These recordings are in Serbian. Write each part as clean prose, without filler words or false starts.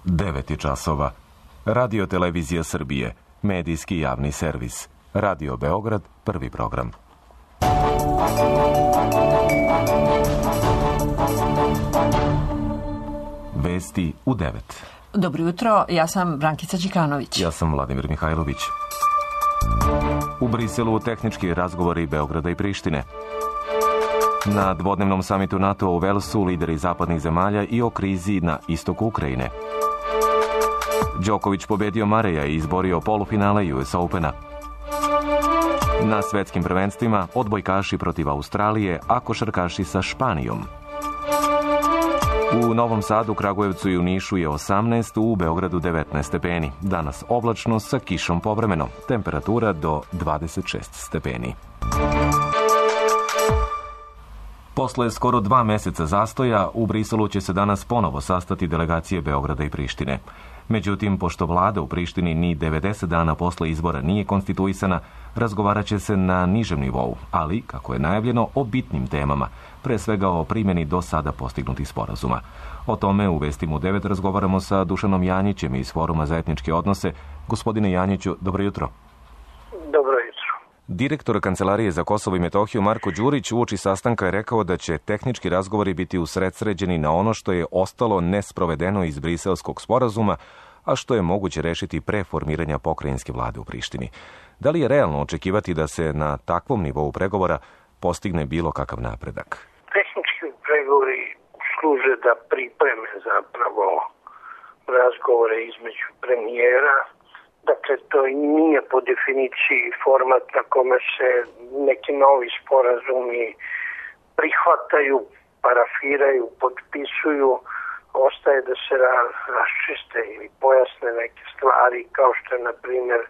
9 časova. Radio Televizija Srbije, medijski javni servis. Radio Beograd, prvi program. Vesti u 9. Dobro jutro, ja sam Brankica Đikanović. Ja sam Vladimir Mihajlović. U Briselu tehnički razgovori Beograda i Prištine. Na dvodnevnom samitu NATO u Velsu lideri zapadnih zemalja i o krizi na istoku Ukrajine. Đoković pobedio Mareja i izborio polufinale US Opena. Na svetskim prvenstvima odbojkaši protiv Australije, a košarkaši sa Španijom. U Novom Sadu, Kragujevcu i u Nišu je 18, u Beogradu 19 stepeni. Danas oblačno sa kišom povremeno. Temperatura do 26 stepeni. Posle skoro 2 meseca zastoja, u Briselu će se danas ponovo sastati delegacije Beograda i Prištine. Međutim, pošto vlada u Prištini ni 90 dana posle izbora nije konstituisana, razgovarat će se na nižem nivou, ali, kako je najavljeno, o bitnim temama, pre svega o primjeni do sada postignutih sporazuma. O tome u Vestima u 9 razgovaramo sa Dušanom Janjićem iz Foruma za etničke odnose. Gospodine Janjiću, dobro jutro. Dobro jutro. Direktor Kancelarije za Kosovo i Metohiju Marko Đurić uoči sastanka je rekao da će tehnički razgovori biti usredsređeni na ono što je ostalo nesprovedeno iz Briselskog sporazuma, a što je moguće rešiti pre formiranja pokrajinske vlade u Prištini. Da li je realno očekivati da se na takvom nivou pregovora postigne bilo kakav napredak? Tehnički pregovori služe da pripreme zapravo razgovore između premijera. Dakle, to nije po definiciji format na kome se neki novi sporazumi prihvataju, parafiraju, potpisuju. Ostaje da se raščiste ili pojasne neke stvari, kao što je, na primjer,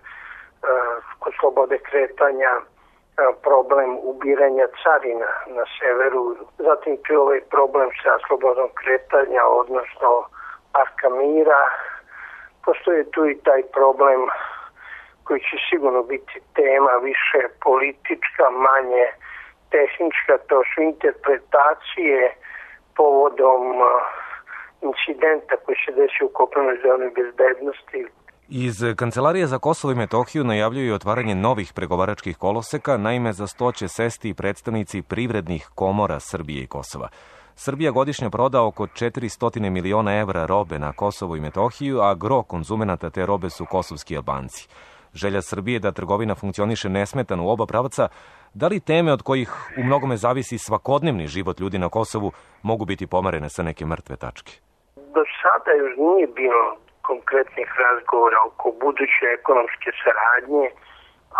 kod slobode kretanja problem ubiranja carina na severu. Zatim tu je ovaj problem sa slobodom kretanja, odnosno parka mira. Postoji tu i taj problem koji će sigurno biti tema više politička, manje tehnička. To su interpretacije povodom incidenta koji se desi u kopnenoj zoni bezbednosti. Iz Kancelarije za Kosovo i Metohiju najavljuju otvaranje novih pregovaračkih koloseka, naime za 100 će sesti predstavnici privrednih komora Srbije i Kosova. Srbija godišnje proda oko 400 miliona evra robe na Kosovo i Metohiju, a gro konzumenata te robe su kosovski Albanci. Želja Srbije da trgovina funkcioniše nesmetano u oba pravca, da li teme od kojih u mnogome zavisi svakodnevni život ljudi na Kosovu mogu biti pomerene sa neke mrtve tačke? Do sada još nije bilo konkretnih razgovora oko buduće ekonomske saradnje,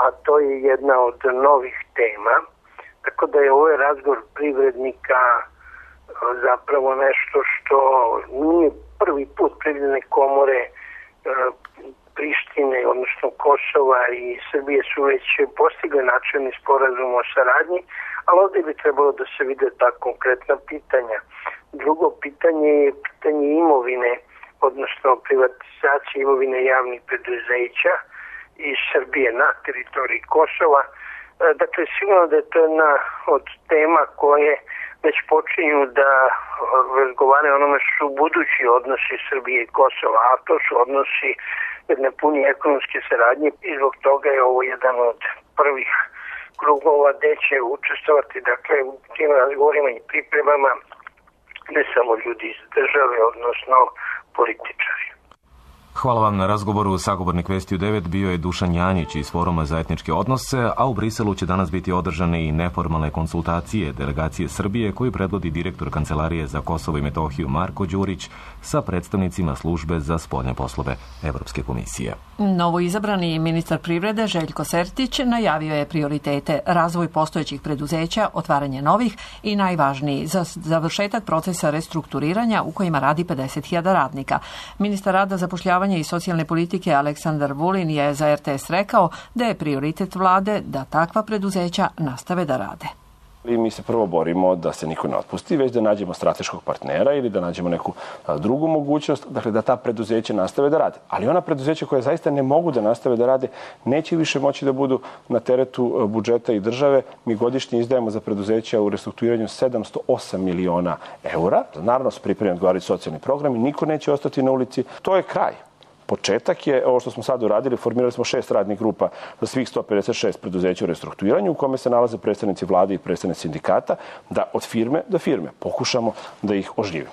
a to je jedna od novih tema. Tako da je ovaj razgovor privrednika zapravo nešto što nije prvi put. Privredne komore Prištine, odnosno Kosova i Srbije su već postigli načelni sporazum o saradnji, ali ovdje bi trebalo da se vide ta konkretna pitanja. Drugo pitanje je pitanje imovine, odnosno privatizacije imovine javnih preduzeća iz Srbije na teritoriji Kosova. Dakle, sigurno da je to jedna od tema koje već počinju da razgovaraju o onome što su budući odnosi Srbije i Kosova, a to su odnosi jedne puni ekonomske saradnje i zbog toga je ovo jedan od prvih krugova gde će učestvovati, dakle, u tim razgovorima i pripremama ne samo ljudi iz države, odnosno političari. Hvala vam na razgovoru. Sagovornik Vesti u 9 bio je Dušan Janjić iz Foruma za etničke odnose, a u Briselu će danas biti održane i neformalne konsultacije delegacije Srbije koju predvodi direktor Kancelarije za Kosovo i Metohiju Marko Đurić sa predstavnicima službe za spoljne poslove Evropske komisije. Novoizabrani ministar privrede Željko Sertić najavio je prioritete: razvoj postojećih preduzeća, otvaranje novih i najvažniji za završetak procesa restrukturiranja u kojima radi 50.000 radnika. Ministar rada, zapošljavanja i socijalne politike Aleksandar Vulin je za RTS rekao da je prioritet vlade da takva preduzeća nastave da rade. I mi se prvo borimo da se niko ne otpusti, već da nađemo strateškog partnera ili da nađemo neku drugu mogućnost, dakle da ta preduzeća nastave da rade. Ali ona preduzeća koja zaista ne mogu da nastave da rade, neće više moći da budu na teretu budžeta i države. Mi godišnje izdajemo za preduzeća u restrukturiranju 708 miliona eura. Naravno se pripremljeni odgovarajući socijalni program i niko neće ostati na ulici. To je kraj. Početak je, ovo što smo sad uradili, formirali smo 6 radnih grupa za svih 156 preduzeća u restrukturiranju u kome se nalaze predstavnici vlade i predstavnici sindikata, da od firme do firme pokušamo da ih oživimo.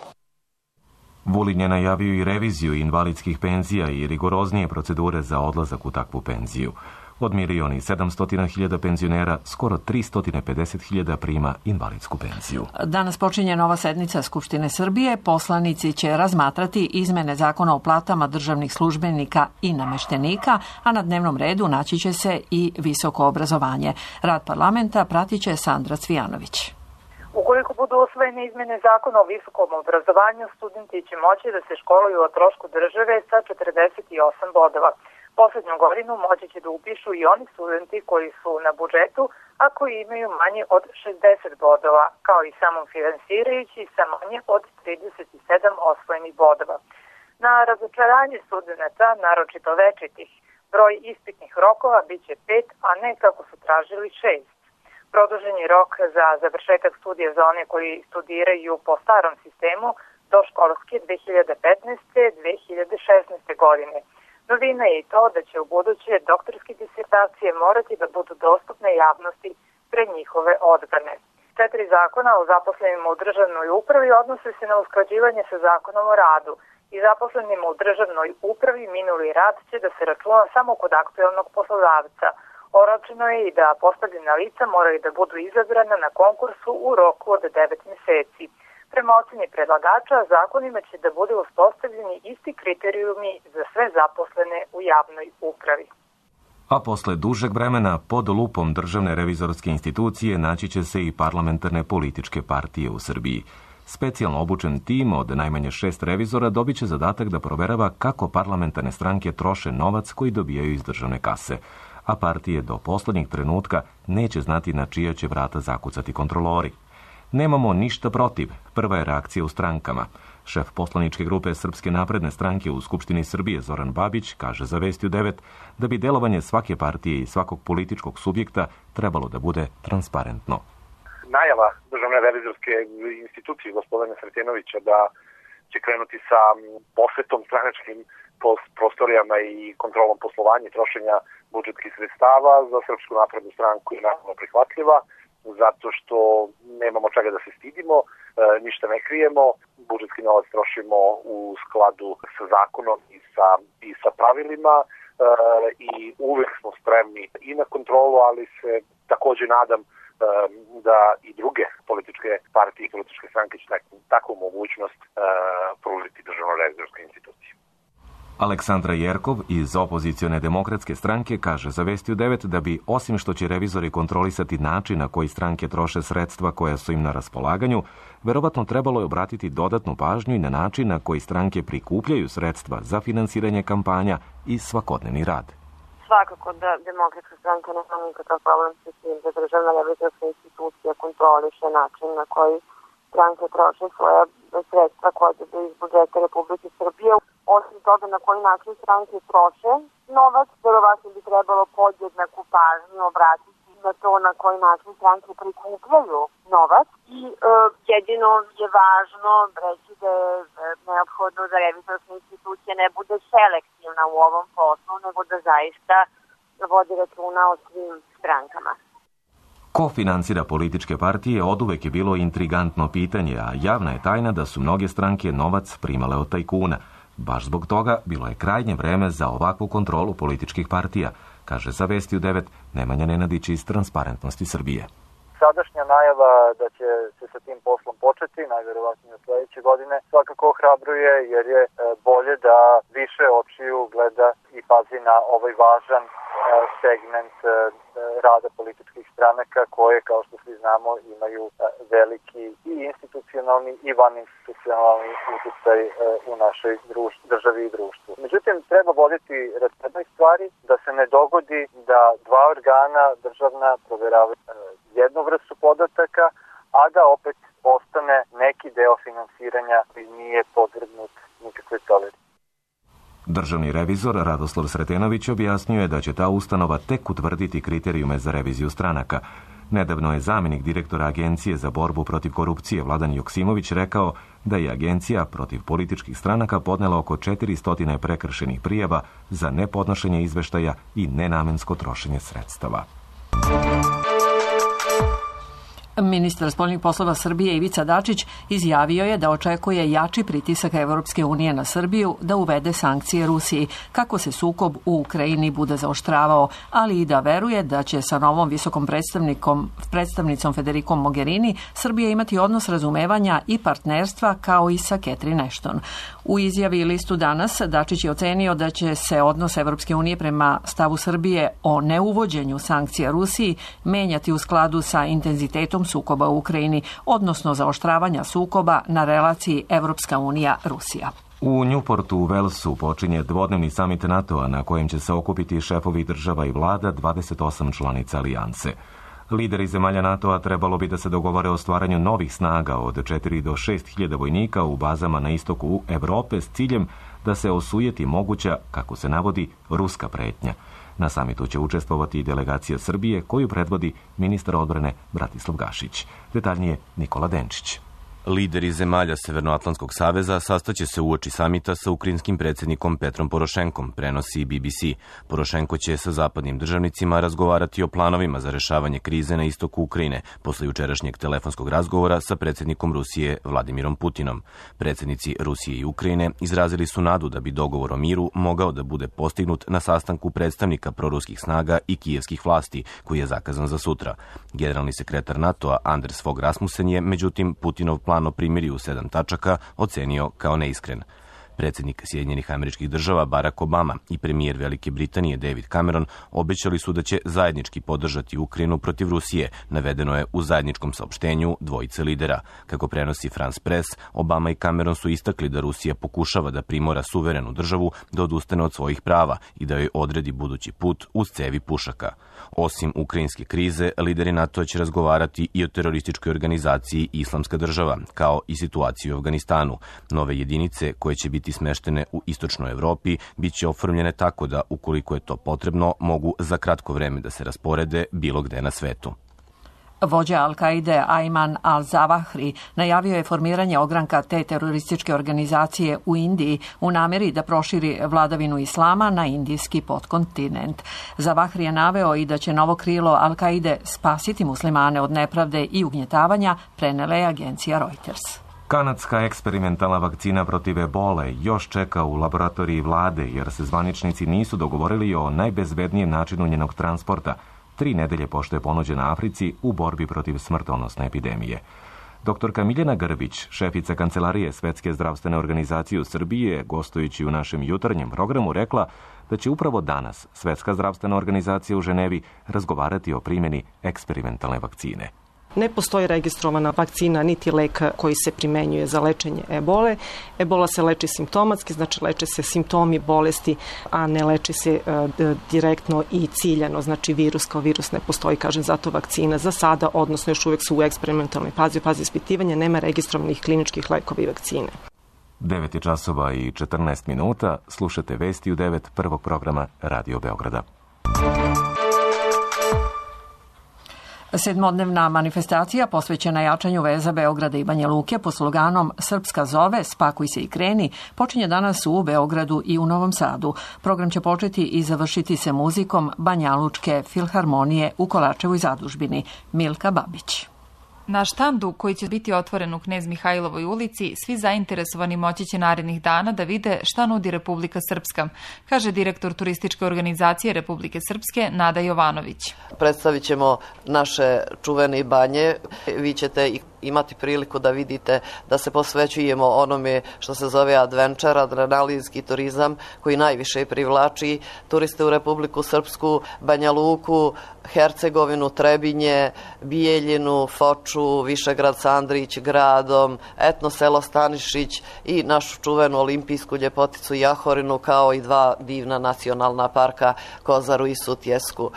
Vulin je najavio i reviziju invalidskih penzija i rigoroznije procedure za odlazak u takvu penziju. Od 1.700.000 penzionera, skoro 350.000 prima invalidsku penziju. Danas počinje nova sednica Skupštine Srbije. Poslanici će razmatrati izmene zakona o platama državnih službenika i nameštenika, a na dnevnom redu naći će se i visoko obrazovanje. Rad parlamenta pratit će Sandra Cvijanović. Ukoliko budu usvojene izmene zakona o visokom obrazovanju, studenti će moći da se školuju o trošku države sa 48 bodova. Poslednju godinu moći će da upišu i oni studenti koji su na budžetu, a koji imaju manje od 60 bodova, kao i samofinansirajući sa manje od 37 osvojenih bodova. Na razočaranje studenta, naročito večitih, broj ispitnih rokova biće 5, a ne kako su tražili 6. Produžen je rok za završetak studija za one koji studiraju po starom sistemu do školske 2015-2016. godine. Novina je i to da će u buduće doktorske disertacije morati da budu dostupne javnosti pre njihove odbrane. 4 zakona o zaposlenima u državnoj upravi odnose se na usklađivanje sa zakonom o radu i zaposlenima u državnoj upravi minuli rad će da se računa samo kod aktuelnog poslodavca. Oročeno je i da postavljena lica moraju da budu izabrana na konkursu u roku od 9 meseci. Prema oceni predlagača, zakonima će da bude uspostavljeni isti kriterijumi za sve zaposlene u javnoj upravi. A posle dužeg vremena pod lupom Državne revizorske institucije naći će se i parlamentarne političke partije u Srbiji. Specijalno obučen tim od najmanje 6 revizora dobit će zadatak da proverava kako parlamentarne stranke troše novac koji dobijaju iz državne kase, a partije do poslednjeg trenutka neće znati na čija će vrata zakucati kontrolori. Nemamo ništa protiv, prva je reakcija u strankama. Šef poslaničke grupe Srpske napredne stranke u Skupštini Srbije Zoran Babić kaže za Vesti u 9 da bi delovanje svake partije i svakog političkog subjekta trebalo da bude transparentno. Najava Državne revizorske institucije gospodina Sretenovića da će krenuti sa posvetom stranačkim prostorijama i kontrolom poslovanja i trošenja budžetskih sredstava za Srpsku naprednu stranku je naravno prihvatljiva, zato što nemamo čega da se stidimo, ništa ne krijemo, budžetski novac trošimo u skladu sa zakonom i sa pravilima i uvek smo spremni i na kontrolu, ali se takođe nadam da i druge političke partije i političke stranke će takvu mogućnost pružiti Državnoj revizorskoj instituciji. Aleksandra Jerkov iz opozicione demokratske stranke kaže za Vesti u 9 da bi, osim što će revizori kontrolisati način na koji stranke troše sredstva koja su im na raspolaganju, verovatno trebalo je obratiti dodatnu pažnju i na način na koji stranke prikupljaju sredstva za finansiranje kampanja i svakodnevni rad. Svakako da demokratska stranka nema nikakav problem sa tim da Državna revizorska institucija kontroliše način na koji stranke troše svoja sredstva koja dobiju iz budžeta Republike Srbije. Osim toga na koji način stranke troše novac, verovatno bi trebalo podjednaku pažnju obratiti na to na koji način stranke prikupljaju novac i jedino je važno reći da je neophodno da revizorska institucija ne bude selektivna u ovom poslu, nego da zaista vodi računa o svim strankama. Ko finansira političke partije oduvek je bilo intrigantno pitanje, a javna je tajna da su mnoge stranke novac primale od tajkuna. Baš zbog toga bilo je krajnje vreme za ovakvu kontrolu političkih partija, kaže za Vesti u 9 Nemanja Nenadić iz Transparentnosti Srbije. Sadašnja najava da će se sa tim poslom početi, najverovatnije sledeće godine, svakako ohrabruje jer je bolje da više očiju gleda i pazi na ovaj važan segment rada političkih stranaka koje, kao što svi znamo, imaju veliki i institucionalni regionalni i vaninstitucionalni uticaj u našoj državi i društvu. Međutim, treba voditi računa stvari da se ne dogodi da dva organa državna proveravaju jednu vrstu podataka, a da opet ostane neki deo finansiranja koji nije podvrgnut nikakve proveri. Državni revizor Radoslav Sretenović objasnio je da će ta ustanova tek utvrditi kriterijume za reviziju stranaka. Nedavno je zamjenik direktora Agencije za borbu protiv korupcije Vladan Joksimović rekao da je Agencija protiv političkih stranaka podnela oko 400 prekršenih prijava za nepodnošenje izveštaja i nenamensko trošenje sredstava. Ministar spoljnih poslova Srbije Ivica Dačić izjavio je da očekuje jači pritisak Evropske unije na Srbiju da uvede sankcije Rusiji kako se sukob u Ukrajini bude zaoštravao, ali i da veruje da će sa novom visokom predstavnicom Federikom Mogherini Srbija imati odnos razumevanja i partnerstva kao i sa Catherine Ashton. U izjavi listu Danas Dačić je ocenio da će se odnos Evropske unije prema stavu Srbije o neuvođenju sankcija Rusiji menjati u skladu sa intenzitetom sukoba u Ukrajini, odnosno zaoštravanja sukoba na relaciji Evropska unija-Rusija. U Newportu u Walesu počinje dvodnevni samit NATO-a na kojem će se okupiti šefovi država i vlada 28 članica alijanse. Lideri zemalja NATO-a trebalo bi da se dogovore o stvaranju novih snaga od 4 do 6 hiljada vojnika u bazama na istoku Evrope s ciljem da se osujeti moguća, kako se navodi, ruska pretnja. Na samitu će učestvovati i delegacija Srbije koju predvodi ministar odbrane Bratislav Gašić. Detaljnije Nikola Denčić. Lideri zemalja Severnoatlantskog saveza sastaće se uoči samita sa ukrajinskim predsjednikom Petrom Porošenkom, prenosi BBC. Porošenko će sa zapadnim državnicima razgovarati o planovima za rešavanje krize na istoku Ukrajine posle jučerašnjeg telefonskog razgovora sa predsjednikom Rusije Vladimirom Putinom. Predsjednici Rusije i Ukrajine izrazili su nadu da bi dogovor o miru mogao da bude postignut na sastanku predstavnika proruskih snaga i kijevskih vlasti, koji je zakazan za sutra. Generalni sekretar NATO-a Anders Fogh Rasmussen je, međutim, Putinov plan o primirju u 7 tačaka ocenio kao neiskren. Predsjednik Sjedinjenih Američkih Država Barack Obama i premijer Velike Britanije David Cameron obećali su da će zajednički podržati Ukrajinu protiv Rusije, navedeno je u zajedničkom saopštenju dvojice lidera. Kako prenosi France Press, Obama i Cameron su istakli da Rusija pokušava da primora suverenu državu da odustane od svojih prava i da joj odredi budući put uz cevi pušaka. Osim ukrajinske krize, lideri NATO će razgovarati i o terorističkoj organizaciji Islamska država, kao i situaciju u Afganistanu. Nove jedinice koje će biti smeštene u istočnoj Evropi bit će oformljene tako da, ukoliko je to potrebno, mogu za kratko vreme da se rasporede bilo gde na svetu. Vođa Al-Kaide Ayman al-Zawahri najavio je formiranje ogranka te terorističke organizacije u Indiji u nameri da proširi vladavinu islama na indijski podkontinent. Zawahri je naveo i da će novo krilo Al-Kaide spasiti muslimane od nepravde i ugnjetavanja, prenela je agencija Reuters. Kanadska eksperimentalna vakcina protiv ebole još čeka u laboratoriji vlade jer se zvaničnici nisu dogovorili o najbezbednijem načinu njenog transporta, 3 nedelje pošto je ponuđena Africi u borbi protiv smrtonosne epidemije. Doktorka Miljana Grbić, šefica Kancelarije Svetske zdravstvene organizacije u Srbiji, gostujući u našem jutarnjem programu, rekla da će upravo danas Svetska zdravstvena organizacija u Ženevi razgovarati o primjeni eksperimentalne vakcine. Ne postoji registrovana vakcina niti lek koji se primenjuje za lečenje ebole. Ebola se leči simptomatski, znači leče se simptomi bolesti, a ne leči se direktno i ciljano, znači virus kao virus ne postoji, kažem, zato vakcina za sada, odnosno još uvijek su u eksperimentalnoj fazi ispitivanja, nema registrovanih kliničkih lekova i vakcine. 9 časova i 14 minuta, slušate vesti u 9 prvog programa Radio Beograda. Sedmodnevna manifestacija posvećena jačanju veza Beograda i Banja Luke pod sloganom Srpska zove, spakuj se i kreni, počinje danas u Beogradu i u Novom Sadu. Program će početi i završiti se muzikom Banjalučke filharmonije u Kolarčevoj zadužbini. Milka Babić. Na štandu, koji će biti otvoren u Knez Mihajlovoj ulici, svi zainteresovani moći će narednih dana da vide šta nudi Republika Srpska, kaže direktor turističke organizacije Republike Srpske Nada Jovanović. Predstavit ćemo naše čuvene banje. Vi ćete imati priliku da vidite da se posvećujemo onome što se zove adventure, adrenalinski turizam, koji najviše privlači turiste u Republiku Srpsku, Banja Luku, Hercegovinu, Trebinje, Bijeljinu, Foču, Beču, Višegrad sa Andrić gradom, etno selo Stanišić i našu čuvenu olimpijsku ljepoticu Jahorinu, kao i 2 divna nacionalna parka Kozaru i Sutjesku.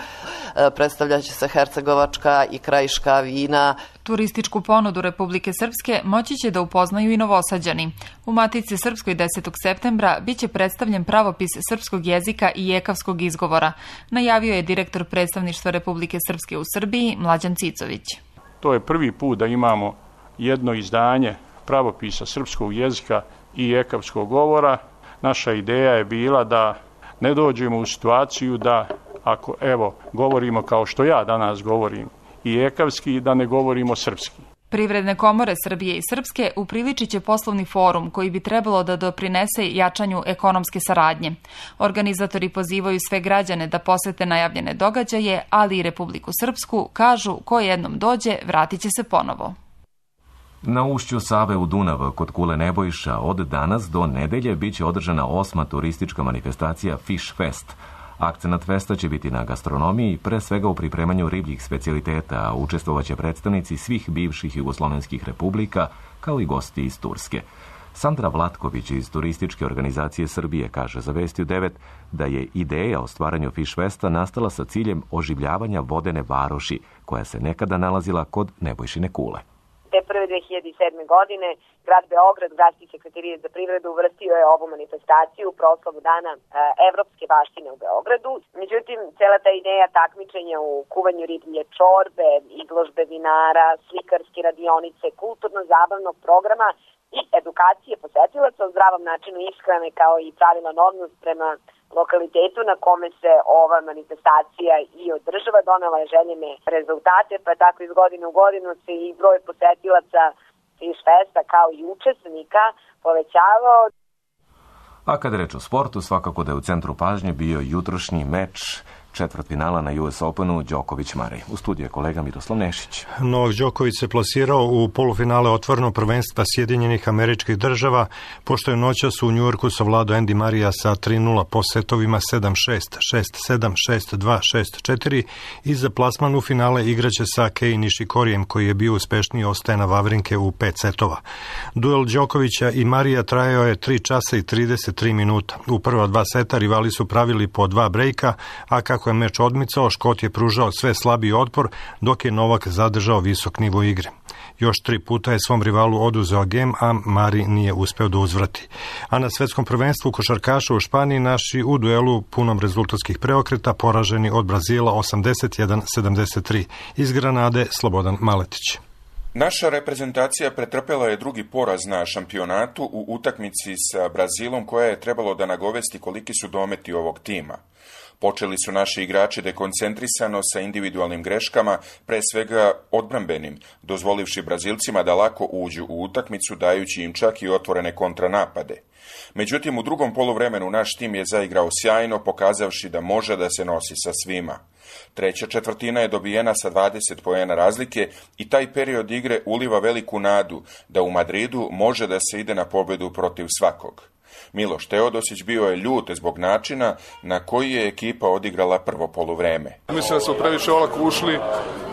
Predstavljaće se hercegovačka i krajiška vina. Turističku ponudu Republike Srpske moći će da upoznaju i Novosađani. U Matici Srpskoj 10. septembra biće predstavljen pravopis srpskog jezika i jekavskog izgovora, najavio je direktor predstavništva Republike Srpske u Srbiji Mlađan Cicović. To je prvi put da imamo jedno izdanje pravopisa srpskog jezika i jekavskog govora. Naša ideja je bila da ne dođemo u situaciju da, ako govorimo kao što ja danas govorim, i jekavski, da ne govorimo srpski. Privredne komore Srbije i Srpske upriličit će poslovni forum koji bi trebalo da doprinese jačanju ekonomske saradnje. Organizatori pozivaju sve građane da posete najavljene događaje, ali i Republiku Srpsku, kažu ko jednom dođe, vratit će se ponovo. Na ušću Save u Dunav kod Kule Nebojša od danas do nedelje biće održana 8. turistička manifestacija Fish Fest. Akcenat festa će biti na gastronomiji, pre svega u pripremanju ribljih specijaliteta, a učestvovaće predstavnici svih bivših jugoslovenskih republika, kao i gosti iz Turske. Sandra Vlatković iz Turističke organizacije Srbije kaže za Vesti u 9 da je ideja o stvaranju Fish Festa nastala sa ciljem oživljavanja vodene varoši, koja se nekada nalazila kod Nebojšine Kule. Te prve 2007. godine grad Beograd, Gradski sekretarijat za privredu uvrstio je ovu manifestaciju u proslavu dana evropske baštine u Beogradu. Međutim, cela ta ideja takmičenja u kuvanju riblje čorbe, izložbe vinara, slikarske radionice, kulturno-zabavnog programa i edukacije posetilaca o zdravom načinu ishrane kao i pravilan odnos prema lokalitetu na kome se ova manifestacija i održava, donela je željene rezultate, pa tako iz godine u godinu se i broj posetilaca Fish Festa kao i učesnika povećavao. A kada reč o sportu, svakako da je u centru pažnje bio jutrošnji meč četvrtfinala na US Openu Đoković-Marej. U studiju je kolega Miroslav Nešić. Novak Đoković se plasirao u polufinale otvorenog prvenstva Sjedinjenih Američkih Država, pošto je noćas u Njujorku savladao Andy Marija sa 3-0 po setovima 7-6, 6-7, 6-2, 6-4 i za plasman u finale igraće sa Kei Nishikorijem, koji je bio uspešniji od Stena Wawrinke u 5 setova. Duel Đokovića i Marija trajao je 3 časa i 33 minuta. U prva 2 seta rivali su pravili po 2 brejka, a kako je meč odmicao, Škot je pružao sve slabiji otpor, dok je Novak zadržao visok nivo igre. Još 3 puta je svom rivalu oduzeo gem, a Mari nije uspeo da uzvrati. A na svetskom prvenstvu košarkaša u Španiji naši u duelu punom rezultatskih preokreta poraženi od Brazila 81-73. Iz Granade Slobodan Maletić. Naša reprezentacija pretrpela je drugi poraz na šampionatu u utakmici sa Brazilom, koja je trebalo da nagovesti koliki su dometi ovog tima. Počeli su naši igrači dekoncentrisano sa individualnim greškama, pre svega odbrambenim, dozvolivši Brazilcima da lako uđu u utakmicu, dajući im čak i otvorene kontranapade. Međutim, u drugom poluvremenu naš tim je zaigrao sjajno, pokazavši da može da se nosi sa svima. Treća četvrtina je dobijena sa 20 poena razlike i taj period igre uliva veliku nadu da u Madridu može da se ide na pobedu protiv svakog. Miloš Teodosić bio je ljut zbog načina na koji je ekipa odigrala prvo poluvreme. Mislim da smo previše olako ušli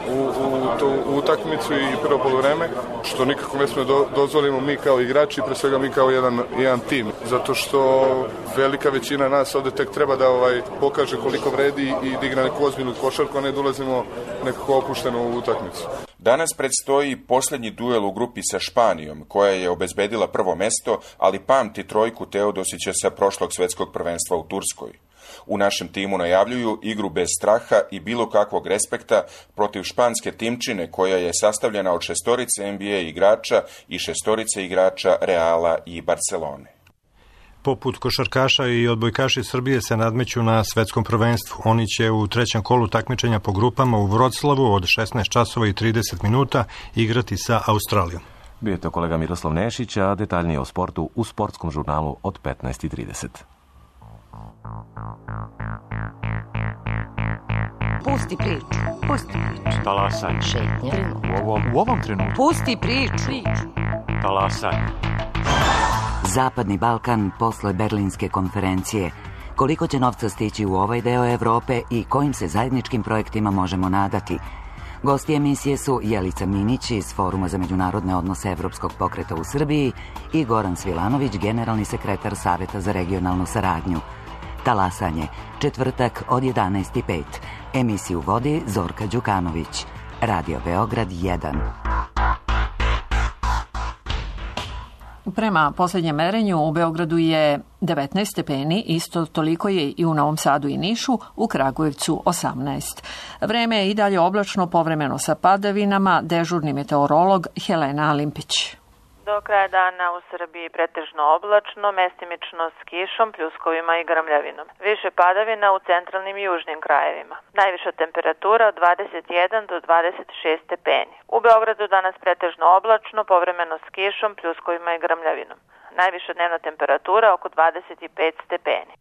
u tu utakmicu i prvo poluvreme, što nikako ne sme dozvolimo mi kao igrači, pre svega mi kao jedan tim, zato što velika većina nas ovde tek treba da pokaže koliko vredi i da igra neku ozbiljnu košarku, a ne da ulazimo nekako opušteno u utakmicu. Danas predstoji posljednji duel u grupi sa Španijom, koja je obezbedila prvo mesto, ali pamti trojku Teodosića sa prošlog svetskog prvenstva u Turskoj. U našem timu najavljuju igru bez straha i bilo kakvog respekta protiv španske timčine, koja je sastavljena od 6 NBA igrača i 6 igrača Reala i Barcelone. Poput košarkaša i odbojkaši Srbije se nadmeću na svetskom prvenstvu. Oni će u trećem kolu takmičenja po grupama u Vroclavu od 16 časova i 30 minuta igrati sa Australijom. Bio je to kolega Miroslav Nešić, a detaljnije o sportu u sportskom žurnalu od 15:30. Pusti priču. Talasaj. Šetnja. U ovom trenutku. Pusti priču. Talasaj. Zapadni Balkan posle Berlinske konferencije. Koliko će novca stići u ovaj deo Evrope i kojim se zajedničkim projektima možemo nadati? Gosti emisije su Jelica Minić iz Foruma za međunarodne odnose Evropskog pokreta u Srbiji i Goran Svilanović, generalni sekretar Saveta za regionalnu saradnju. Talasanje, četvrtak od 11:05. Emisiju vodi Zorka Đukanović. Radio Beograd 1. Prema posljednjem merenju u Beogradu je 19 stepeni, isto toliko je i u Novom Sadu i Nišu, u Kragujevcu 18. Vreme je i dalje oblačno, povremeno sa padavinama, dežurni meteorolog Helena Alimpić. Do kraja dana u Srbiji pretežno oblačno, mestimično s kišom, pljuskovima i grmljavinom. Više padavina u centralnim i južnim krajevima. Najviša temperatura od 21 do 26 stepeni. U Beogradu danas pretežno oblačno, povremeno s kišom, pljuskovima i grmljavinom. Najviša dnevna temperatura oko 25 stepeni.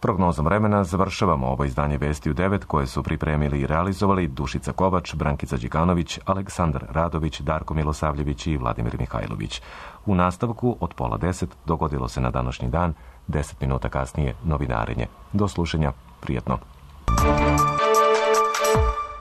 Prognozom vremena završavamo ovo izdanje Vesti u 9 koje su pripremili i realizovali Dušica Kovač, Brankica Đikanović, Aleksandar Radović, Darko Milosavljević i Vladimir Mihajlović. U nastavku od 9:30 dogodilo se na današnji dan, 10 minuta kasnije novinarenje. Do slušanja, prijetno.